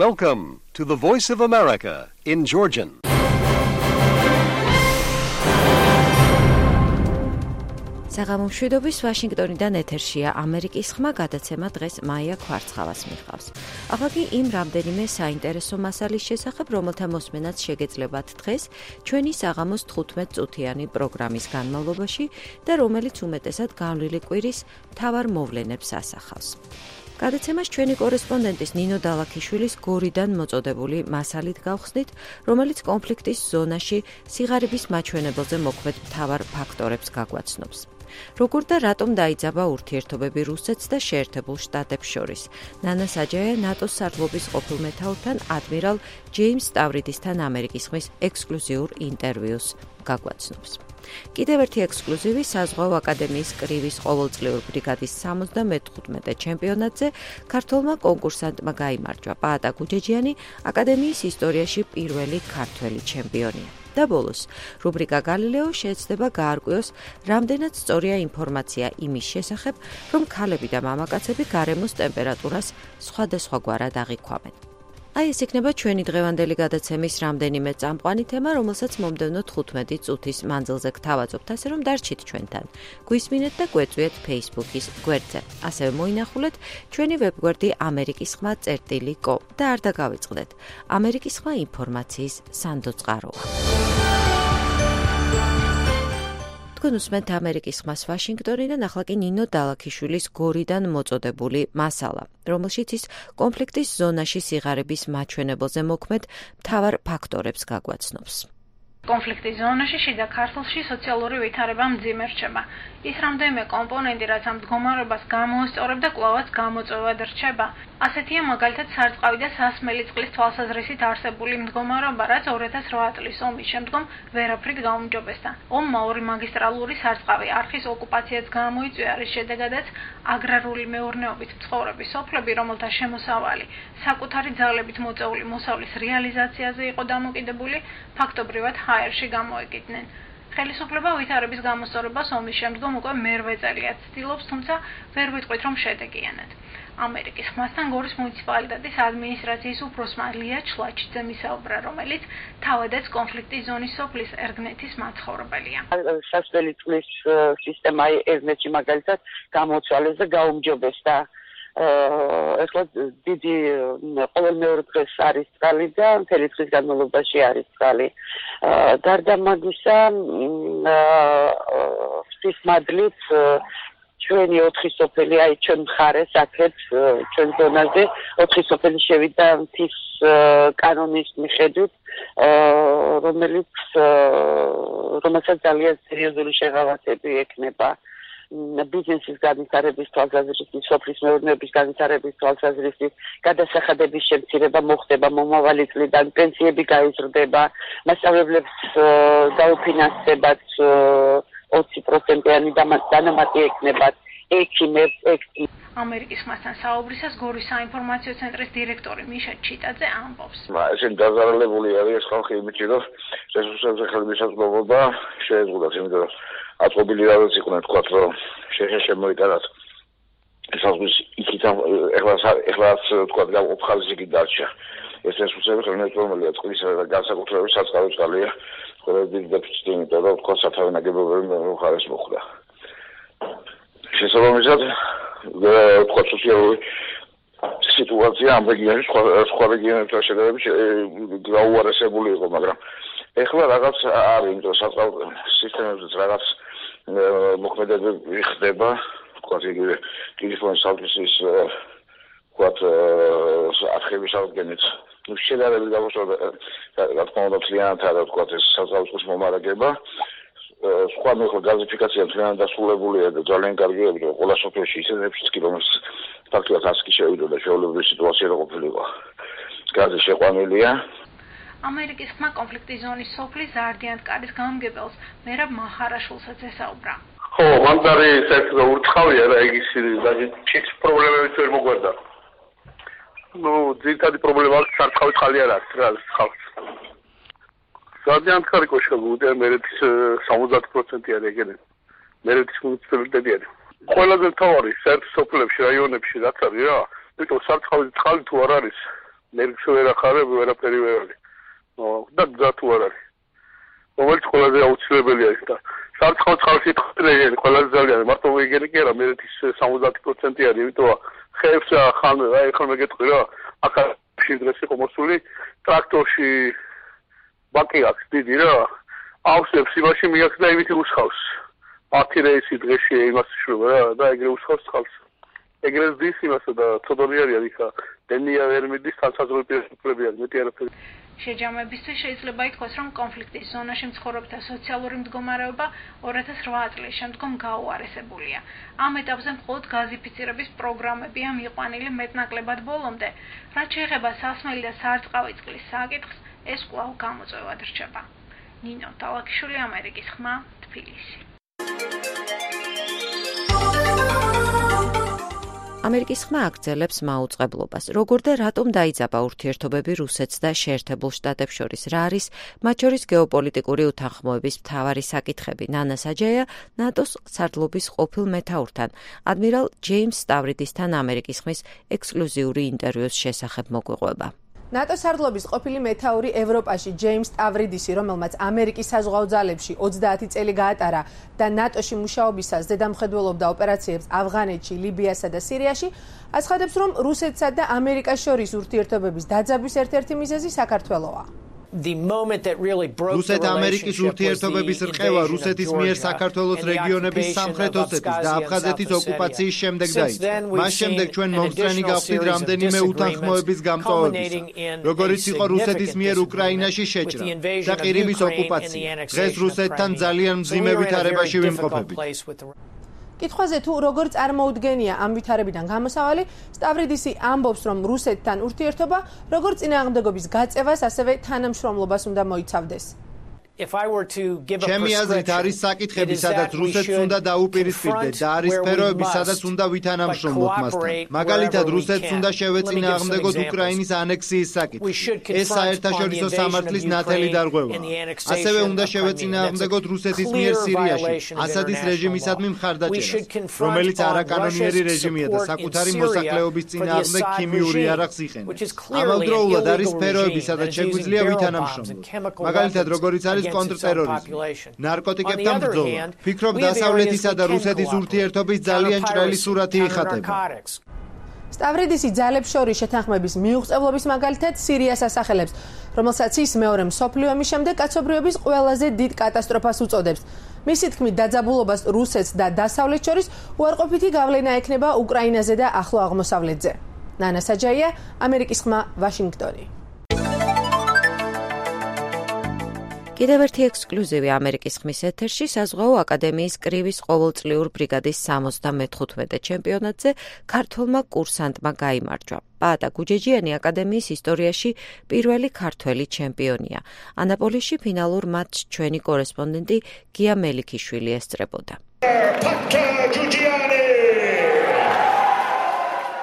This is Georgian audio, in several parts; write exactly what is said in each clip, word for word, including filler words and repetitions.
Welcome to the Voice of America in Georgian. საღამომშვიდობის ვაშინგტონიდან ეთერშია ამერიკის ხმა გადაცემა დღეს მაია ქვარცხავას მიჰყავს. ახლა კი იმ რამდენიმე საინტერესო მასალის შესახებ, რომელთა მოსმენაც შეგეძლებათ დღეს ჩვენი საღამოს თხუთმეტ წუთიანი პროგრამის განმავლობაში და რომელიც უმეტესად განვლილი კვირის მთავარ მოვლენებს ასახავს. გადაცემას ჩვენი კორესპონდენტის ნინო დალაქიშვილის გორიდან მოწოდებული მასალით გავხსნით, რომელიც კონფლიქტის ზონაში სიღარიბის მაჩვენებელზე მოქმედ მთავარ ფაქტორებს გაგვაცნობს. როგორ და რატომ დაიძაბა ურთიერთობები რუსეთს და შეერთებულ შტატებს შორის. ნანა საჯაია ნატოს სარდლობის ყოფილ მეთაურთან ადმირალ ჯეიმს სტავრიდისთან ამერიკის ხმის ექსკლუზიურ ინტერვიუს გაგვაცნობს. კიდევ ერთი ექსკლუზივი საზღვაო აკადემიის კრივის ყოველწლიურ ბრიგადის სამოცდამეხუთმეტე ჩემპიონატზე ქართველმა კონკურსანტმა გაიმარჯვა. პაატა გუჯეჯიანი აკადემიის ისტორიაში პირველი ქართველი ჩემპიონია. და ბოლოს, რუბრიკა გალილეო შეეცდება გაარკვიოს, რამდენად სწორია ინფორმაცია იმის შესახებ, რომ ქალები და მამაკაცები გარემოს ტემპერატურას სხვადასხვაგვარად აღიქვამენ. აი ეს იქნება ჩვენი დღევანდელი გადაცემის რამდენიმე წამყვანი თემა, რომელსაც მომდევნო თხუთმეტი წუთის მანძილზე გთავაზობთ, ასე რომ დარჩით ჩვენთან. გვისმინეთ და გვეწვიეთ Facebook-ის გვერდზე. ასევე მოინახულეთ ჩვენი ვებგვერდი ამერიკის ხმა წერტილი კომ და არ დაგავიწყდეთ. ამერიკის ხმა ინფორმაციის სანდო წყაროა. თქვენ უსმენთ ამერიკის ხმას ვაშინგტონიდან, ახლა კი ნინო დალაქიშვილის გორიდან მოწოდებული მასალა, რომელშიც ის კონფლიქტის ზონაში სიღარიბის მაჩვენებელზე მოქმედ მთავარ ფაქტორებს გაგვაცნობს. კონფლიქტის ზონაში შიდა ქართლში სოციალური ვითარება მძიმე რჩება. ის რამდენიმე კომპონენტი, რაც ამ მდგომარეობას გამოასწორებ და კვლავაც გამოწვევად რჩება. ასეთია მაგალითად სარწყავი და სასმელი წყლის თვალსაზრისით არსებული მდგომარეობა, რაც ორი ათას რვა წლის ომის შემდგომ ვერაფრით გაუმჯობესდა. ომმა ორი მაგისტრალური სარწყავი არხის ოკუპაციაც გამოიწვია, რის შედეგადაც აგრარული მეურნეობით მცხოვრები სოფლები, რომელთა შემოსავალი საკუთარი ძალებით მოწეული მოსავლის რეალიზაციაზე იყო დამოკიდებული, ფაქტობრივად ჰაერში გამოეკიდნენ. ხელისუფლება ვითარების გამოსწორებას ომის შემდგომ უკვე მერვე წელია ცდილობს, თუმცა ვერ ვიტყვით, რომ შედეგიანად. ამერიკის ხმასთან გორის მუნიციპალიტეტის ადმინისტრაციის უფროსმა ლია ჩლაჩიძემ ისაუბრა, რომელიც თავადაც კონფლიქტის ზონის სოფლის ერგნეთის მაცხოვრებელია. სასმელი წყლის სისტემა ერგნეთში მაგალითად გამოცვალეს და გაუმჯობესდა. ეხლა დიდი ყოველ მეორე დღეს არის წყალი და მთელი დღის განმავლობაში არის წყალი. გარდა მაგისა, ღვთის მადლით ჩვენი ოთხი სოფელი, აი ჩვენ მხარეს აქეთ ჩვენ ზონაზე ოთხი სოფელი შევიდა მთის კანონის მიხედვით, რომელიც რომელსაც ძალიან სერიოზული შეღავათები ექნება. ბიზნესის განვითარების თვალსაზრისით, სოფლის მეურნეობის განვითარების თვალსაზრისით, გადასახადების შემცირება მოხდება მომავალი წლიდან, პენსიები გაიზრდება, მასწავლებლებს დაუფინანსებათ ოცი პროცენტიანი დანამატი ექნებათ, ექიმებს, ექიმებს. ამერიკის ხმასთან საუბრისას გორის საინფორმაციო ცენტრის დირექტორი მიშა ჩიტაძე ამბობს. ესენ დაზარალებული არის ხალხი იმით, რომ რესურსებზე ხელმისაწვდომობა შეეზღუდათ, იმიტომ რომ აწყობილი რაღაც იყვნენ, თქვათ, რომ შეშე შემოიტანათ ესაზღვის იქით ეხლა ეხლაც თქვათ გაყოფხალისი კი დარჩა. ეს რესურსები ხელმისაწვდომელია წყლის და განსაკუთრებით საწყავი წყალია, ყველა დიდი დეფიციტი, იმიტომ რომ თქვათ სათავე ნაგებობები მხარეს მოხვდა. შესაბამისად, თქვათ სოციალური სიტუაცია ამ რეგიონში სხვა რეგიონებთან შედარებით გაუარესებული იყო, მაგრამ ეხლა რაღაც არის, იმიტომ საწყავ სისტემებზეც რაღაც მოქმედებები ხდება, თქვათ იგივე ტელეფონის სალფისის თქვათ არხების აღდგენით. ნუ შედარებით გამოსწორდა, რა თქმა უნდა, მთლიანად არა თქვათ ეს საზღვაო მომარაგება. სხვა მეხლა გაზიფიკაცია მთლიანად დასრულებულია და ძალიან კარგია, რომ ყველა სოფელში ისე ექვსი კილომეტრს ფაქტობრივად ასკი შევიდა და შეუძლებელი სიტუაცია რა ყოფილიყო. გაზი შეყვანილია. ამერიკის ხმა კონფლიქტის ზონის სოფლის ზარდიანკარის გამგებელს მერაბ მაჰარაშვილსაც ესაუბრა. ხო, მან არის ერთი ურთხავია და იგი ის პრობლემებით ვერ მოგვარდა. ნუ ძირითადი პრობლემა აქვს სარწყავი წყალი არ აქვს რა ხალხს. ზარდიანკარი კოშკები მერეთის სამოცდაათი პროცენტი არის ეგენი. მერეთის მუნიციპალიტეტი არის. ყველაზე მთავარი საერთო სოფლებში, რაიონებში რაც არის რა, იმიტომ სარწყავი წყალი თუ არ არის ნერგს ვერ ახარებ, ვერაფერი ვერ არის. და გზა თუ არ არის. რომელიც ყველაზე აუცილებელია ის და სარწყავ წყალში თხრეგენი ყველაზე ძალიან მარტო ვეგენი კი არა, მერეთის სამოცდაათი პროცენტი არის, იმიტომ ხეებს ხან აი ხან მეგეთყვი რა, აქ დღეს იყო მოსული ტრაქტორში ბაკი აქვს დიდი რა, ავსებს იმაში მიაქს და იმით უსხავს. ათი რეისი დღეში იმას შვება რა და ეგრე უსხავს წყალს. ეგრე ზის იმასა და ცოდონი არის იქა დენია ვერ მიდის თანსაზრული პირები არის მეტი არაფერი. შეჯამებისთვის შეიძლება ითქვას, რომ კონფლიქტის ზონაში მცხოვრებთა სოციალური მდგომარეობა ორი ათას რვა წლის შემდგომ გაუარესებულია. ამ ეტაპზე მხოლოდ გაზიფიცირების პროგრამებია მიყვანილი მეტნაკლებად ბოლომდე. რაც შეეხება სასმელი და სარწყავი წყლის საკითხს, ეს კვლავ გამოწვევად რჩება. ნინო ტალაკიშვილი, ამერიკის ხმა, თბილისი. ამერიკის ხმა აგრძელებს მაუწყებლობას. როგორ და რატომ დაიძაბა ურთიერთობები რუსეთს და შეერთებულ შტატებს შორის? რა არის მათ შორის გეოპოლიტიკური უთანხმოების მთავარი საკითხები? ნანა საჯაია ნატოს სარდლობის ყოფილ მეთაურთან, ადმირალ ჯეიმს სტავრიდისთან ამერიკის ხმის ექსკლუზიური ინტერვიუს შესახებ მოგვიყვება. ნატოს სარდლობის ყოფილი მეთაური ევროპაში ჯეიმს სტავრიდისი, რომელმაც ამერიკის საზღვაო ძალებში ოცდაათი წელი გაატარა და ნატოში მუშაობისას ზედამხედველობდა ოპერაციებს ავღანეთში, ლიბიასა და სირიაში, აცხადებს, რომ რუსეთსა და ამერიკას შორის ურთიერთობების დაძაბვის ერთ-ერთი მიზეზი საქართველოა. რუსეთ-ამერიკის ურთიერთობების რყევა რუსეთის მიერ საქართველოს რეგიონების სამხრეთ ოსეთის და აფხაზეთის ოკუპაციის შემდეგ დაიწყო. მას შემდეგ ჩვენ მომსწრენი გავხდით რამდენიმე უთანხმოების გამწვავებისა, როგორიც იყო რუსეთის მიერ უკრაინაში შეჭრა და ყირიმის ოკუპაცია. დღეს რუსეთთან ძალიან მძიმე ვითარებაში ვიმყოფებით. კითხვაზე თუ როგორ წარმოუდგენია ამ ვითარებიდან გამოსავალი, სტავრიდისი ამბობს, რომ რუსეთთან ურთიერთობა როგორც წინააღმდეგობის გაწევას, ასევე თანამშრომლობას უნდა მოიცავდეს. ჩემი აზრით არის საკითხები, სადაც რუსეთს უნდა დაუპირისპირდე და არის სფეროები, სადაც უნდა ვითანამშრომლოთ მასთან. მაგალითად, რუსეთს უნდა შევეწინააღმდეგოთ უკრაინის ანექსიის საკითხი. ეს საერთაშორისო სამართლის ნათელი დარღვევაა. ასევე უნდა შევეწინააღმდეგოთ რუსეთის მიერ სირიაში ასადის რეჟიმისადმი მხარდაჭერას, რომელიც არაკანონიერი რეჟიმია და საკუთარი მოსახლეობის წინააღმდეგ ქიმიური იარაღს იყენებს. ამავდროულად არის სფეროები, სადაც შეგვიძლია ვითანამშრომლოთ. მაგალითად, როგორიც არის კონტრტერორიზმი, ნარკოტიკებთან ბრძოლა. ფიქრობ, დასავლეთისა და რუსეთის ურთიერთობის ძალიან ჭრელი სურათი იხატება. სტავრიდისი ძალებს შორის შეთანხმების მიუღწევლობის მაგალითად სირიას ასახელებს, რომელსაც ის მეორე მსოფლიო ომის შემდეგ კაცობრიობის ყველაზე დიდ კატასტროფას უწოდებს. მისი თქმით, დაძაბულობას რუსეთს და დასავლეთს შორის უარყოფითი გავლენა ექნება უკრაინაზე და ახლო აღმოსავლეთზე. ნანა საჯაია, ამერიკის ხმა, ვაშინგტონი. კიდევ ერთი ექსკლუზივი ამერიკის ხმის ეთერში საზღვაო აკადემიის კრივის ყოველწლიურ ბრიგადის სამოცდამეხუთმეტე ჩემპიონატზე ქართველმა კურსანტმა გაიმარჯვა. პაატა გუჯეჯიანი აკადემიის ისტორიაში პირველი ქართველი ჩემპიონია. ანაპოლიში ფინალურ მატჩს ჩვენი კორესპონდენტი გია მელიქიშვილი ესწრებოდა.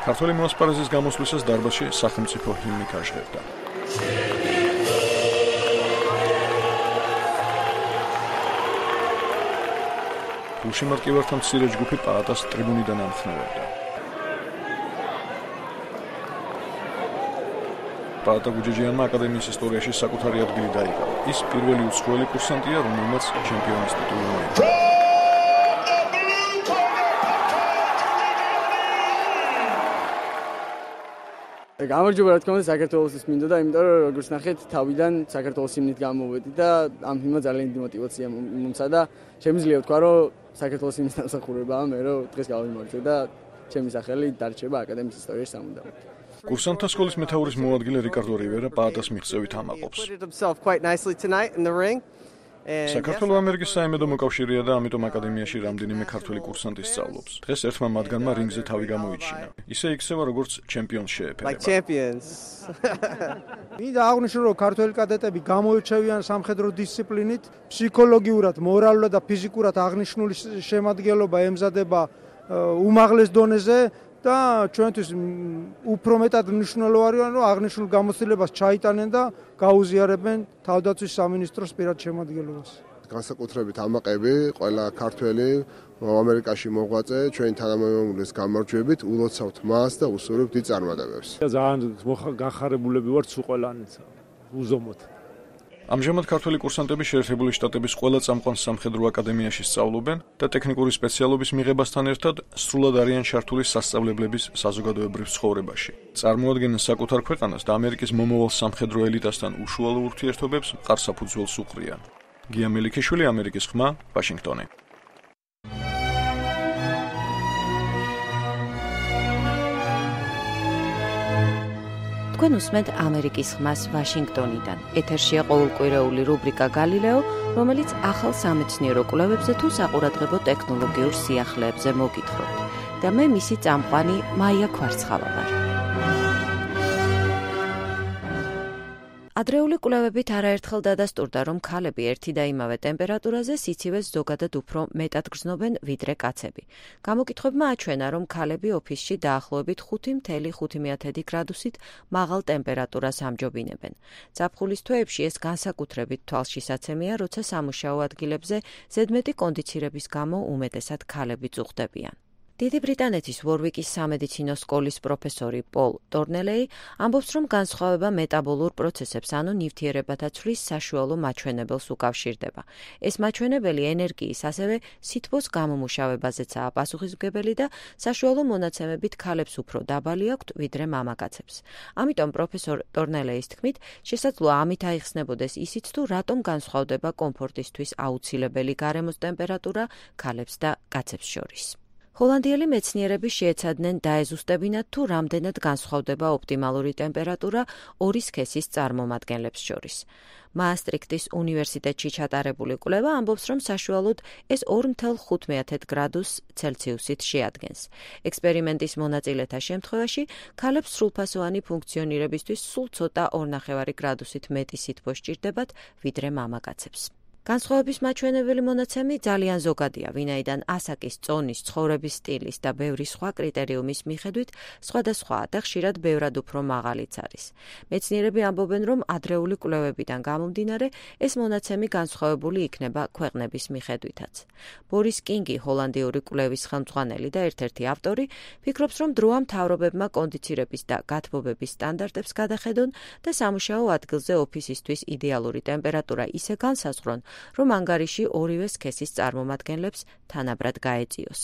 ქართველი მოსპარეზის გამოსვლისას დარბაზში სახელმწიფო ჰიმნი გაჟღერდა. გულშემატკივართა მცირე ჯგუფი პაატას ტრიბუნიდან ამხნევებდა. პაატა გუჯეჯიანმა აკადემიის ისტორიაში საკუთარი ადგილი დაიკავა. ის პირველი უცხოელი კურსანტია, რომელმაც ჩემპიონის ტიტული მოიგო. გამარჯობა, რა თქმა უნდა, საქართველოსთვის მინდოდა, იმიტომ რომ როგორც ნახეთ, თავიდან საქართველოს ჰიმნით გამოვედი და ამ ჰიმნმა ძალიან დიდი мотиваცია მომცა და შემიძლია ვთქვა, რომ საქართველოს ჰიმნის დამსახურებაა მე, რომ დღეს გავიმარჯვე და ჩემი სახელი დარჩება აკადემიის ისტორიაში სამუდამოდ. კურსანტთა სკოლის მეთაურის მოადგილე რიკარდო რივერა პაატას მიღწევით ამაყობს. საქართველოს ამერიკის საიმედო მოკავშირეა და ამიტომ აკადემიაში რამდენიმე ქართველი კურსანტი სწავლობს. დღეს ერთმა მათგანმა რინგზე თავი გამოიჩინა. ისე იქცევა, როგორც ჩემპიონს შეეფერება. მინდა აღვნიშნო, რომ ქართველი კადეტები გამოირჩევიან სამხედრო დისციპლინით, ფსიქოლოგიურად, მორალურად და ფიზიკურად აღნიშნული შემადგენლობა ემზადება უმაღლეს დონეზე და ჩვენთვის უფრო მეტად მნიშვნელოვანია, რომ აღნიშნულ გამოცდილებას ჩაიტანენ და გაუზიარებენ თავდაცვის სამინისტროს პირად შემადგენლობას. განსაკუთრებით ამაყები, ყველა ქართველი ამერიკაში მოღვაწე, ჩვენი თანამემამულის გამარჯვებით ულოცავთ მას და უსურვებთ დიდ წარმატებებს. ძალიან განხარებულები ვართ სულ ყველანი უზომოდ. ამჟამად ქართველი კურსანტები შეერთებული შტატების ყველა წამყვან სამხედრო აკადემიაში სწავლობენ და ტექნიკური სპეციალობის მიღებასთან ერთად სრულად არიან ჩართული სასწავლებლების საზოგადოებრივ ცხოვრებაში. წარმოადგენენ საკუთარ ქვეყანას და ამერიკის მომავალ სამხედრო ელიტასთან უშუალო ურთიერთობებს მყარ საფუძველს უყრიან. გია მელიქიშვილი, ამერიკის ხმა, ვაშინგტონი. თქვენ უსმენთ ამერიკის ხმას ვაშინგტონიდან. ეთერშია ყოველკვირეული რუბრიკა გალილეო, რომელიც ახალ სამეცნიერო კვლევებზე თუ საყურადღებო ტექნოლოგიურ სიახლეებზე მოგითხრობთ. და მე მისი წამყვანი მაია ქვარცხავა ვარ. ადრეული კვლევებით არაერთხელ დადასტურდა, რომ ქალები ერთი და იმავე ტემპერატურაზე სიცივეს ზოგადად უფრო მეტად გრძნობენ ვიდრე კაცები. გამოკითხვებმა აჩვენა, რომ ქალები ოფისში დაახლოებით ხუთი კoma ხუთი გრადუსით მაღალ ტემპერატურას ამჯობინებენ. ზაფხულის თვეებში ეს განსაკუთრებით თვალშისაცემია, როცა სამუშაო ადგილებზე ზედმეტი კონდიცირების გამო უმეტესად ქალები წუხდებიან. დიდი ბრიტანეთის ვორვიკის სამედიცინო სკოლის პროფესორი პოლ ტორნელეი ამბობს, რომ განსხვავება მეტაბოლურ პროცესებს, ანუ ნივთიერებათა ცვლის საშუალო მაჩვენებელს უკავშირდება. ეს მაჩვენებელი ენერგიის, ასევე სითბოს გამომუშავებაზეცაა პასუხისმგებელი და საშუალო მონაცემებით ქალებს უფრო დაბალი აქვთ ვიდრე მამაკაცებს. ამიტომ პროფესორ ტორნელეის თქმით, შესაძლოა ამით აიხსნებოდეს ისიც, თუ რატომ განსხვავდება კომფორტისთვის აუცილებელი გარემოს ტემპერატურა ქალებს და კაცებს შორის. ჰოლანდიელი მეცნიერები შეეცადნენ დაეზუსტებინათ, თუ რამდენად განსხვავდება ოპტიმალური ტემპერატურა ორი სქესის წარმომადგენლებს შორის. მაასტრიქტის უნივერსიტეტში ჩატარებული კვლევა ამბობს, რომ საშუალოდ ეს ორი კoma ხუთი გრადუს ცელსიუსით შეადგენს. ექსპერიმენტის მონაწილეთა შემთხვევაში ქალებს სრულფასოვანი ფუნქციონირებისთვის სულ ცოტა ორი კoma პენჯი გრადუსით მეტი სითბო სჭირდებათ ვიდრე მამაკაცებს. განსხვავების მაჩვენებელი მონაცემი ძალიან ზოგადია, ვინაიდან ასაკის, წონის, ცხოვრების სტილის და ბევრი სხვა კრიტერიუმის მიხედვით სხვადასხვაა და ხშირად ბევრად უფრო მაღალიც არის. მეცნიერები ამბობენ, რომ ადრეული კვლევებიდან გამომდინარე, ეს მონაცემი განსხვავებული იქნება ქვეყნების მიხედვითაც. ბორის კინგი, ჰოლანდიური კვლევის ხელმძღვანელი და ერთ-ერთი ავტორი, ფიქრობს, რომ დროა მთავრობებმა კონდიცირების და გათბობების სტანდარტებს გადახედონ და სამუშაო ადგილზე ოფისისთვის იდეალური ტემპერატურა ისე განსაზღვრონ, რომ ანგარიში ორივე სქესის წარმომადგენლებს თანაბრად გაეწიოს.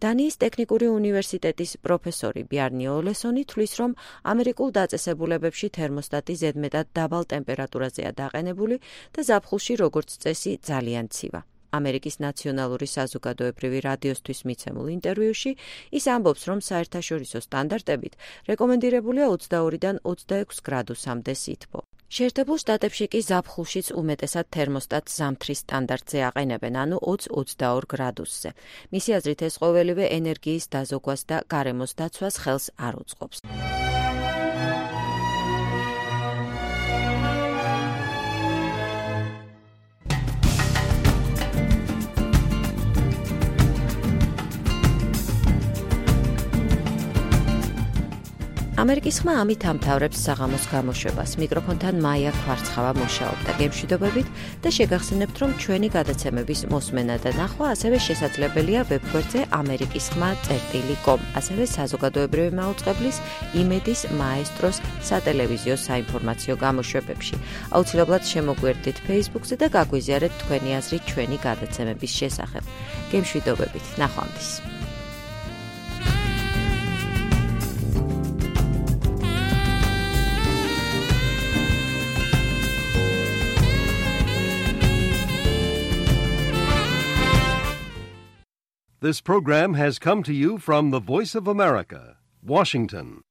დანიის ტექნიკური უნივერსიტეტის პროფესორი ბიარნი ოლესონი თვლის, რომ ამერიკულ დაწესებულებებში თერმოსტატი ზედმეტად დაბალ ტემპერატურაზეა დაყენებული და ზაფხულში როგორც წესი ძალიან ცივა. ამერიკის ნაციონალური საზოგადოებრივი რადიოსთვის მიცემულ ინტერვიუში ის ამბობს, რომ საერთაშორისო სტანდარტებით რეკომენდირებულია ოცდაორიდან ოცდაექვსი გრადუსამდე სითბო. შეერთებულ შტატებში კი ზაფხულშიც უმეტესად თერმოსტატს ზამთრის სტანდარტზე აყენებენ, ანუ ოცი ოცდაორი გრადუსზე. მისი აზრით ეს ყოველივე ენერგიის დაზოგვას და გარემოს დაცვას ხელს არ უწყობს. ამერიკის ხმა ამით ამთავრებს საღამოს გამოშვებას. მიკროფონთან მაია ქვარცხავა მუშაობდა. გემშვიდობებით და შეგახსენებთ, რომ ჩვენი გადაცემების მოსმენა და ნახვა ასევე შესაძლებელია ვებგვერდზე ამერიკის ხმა წერტილი კომ, ასევე საზოგადოებრივი მაუწყებლის იმედის მაესტროს სატელევიზიო საინფორმაციო გამოშვებებში. აუცილებლად შემოგვერდით Facebook-ზე და გაგვიზიარეთ თქვენი აზრი ჩვენი გადაცემების შესახებ. გემშვიდობებით, ნახვამდის. This program has come to you from the Voice of America, Washington.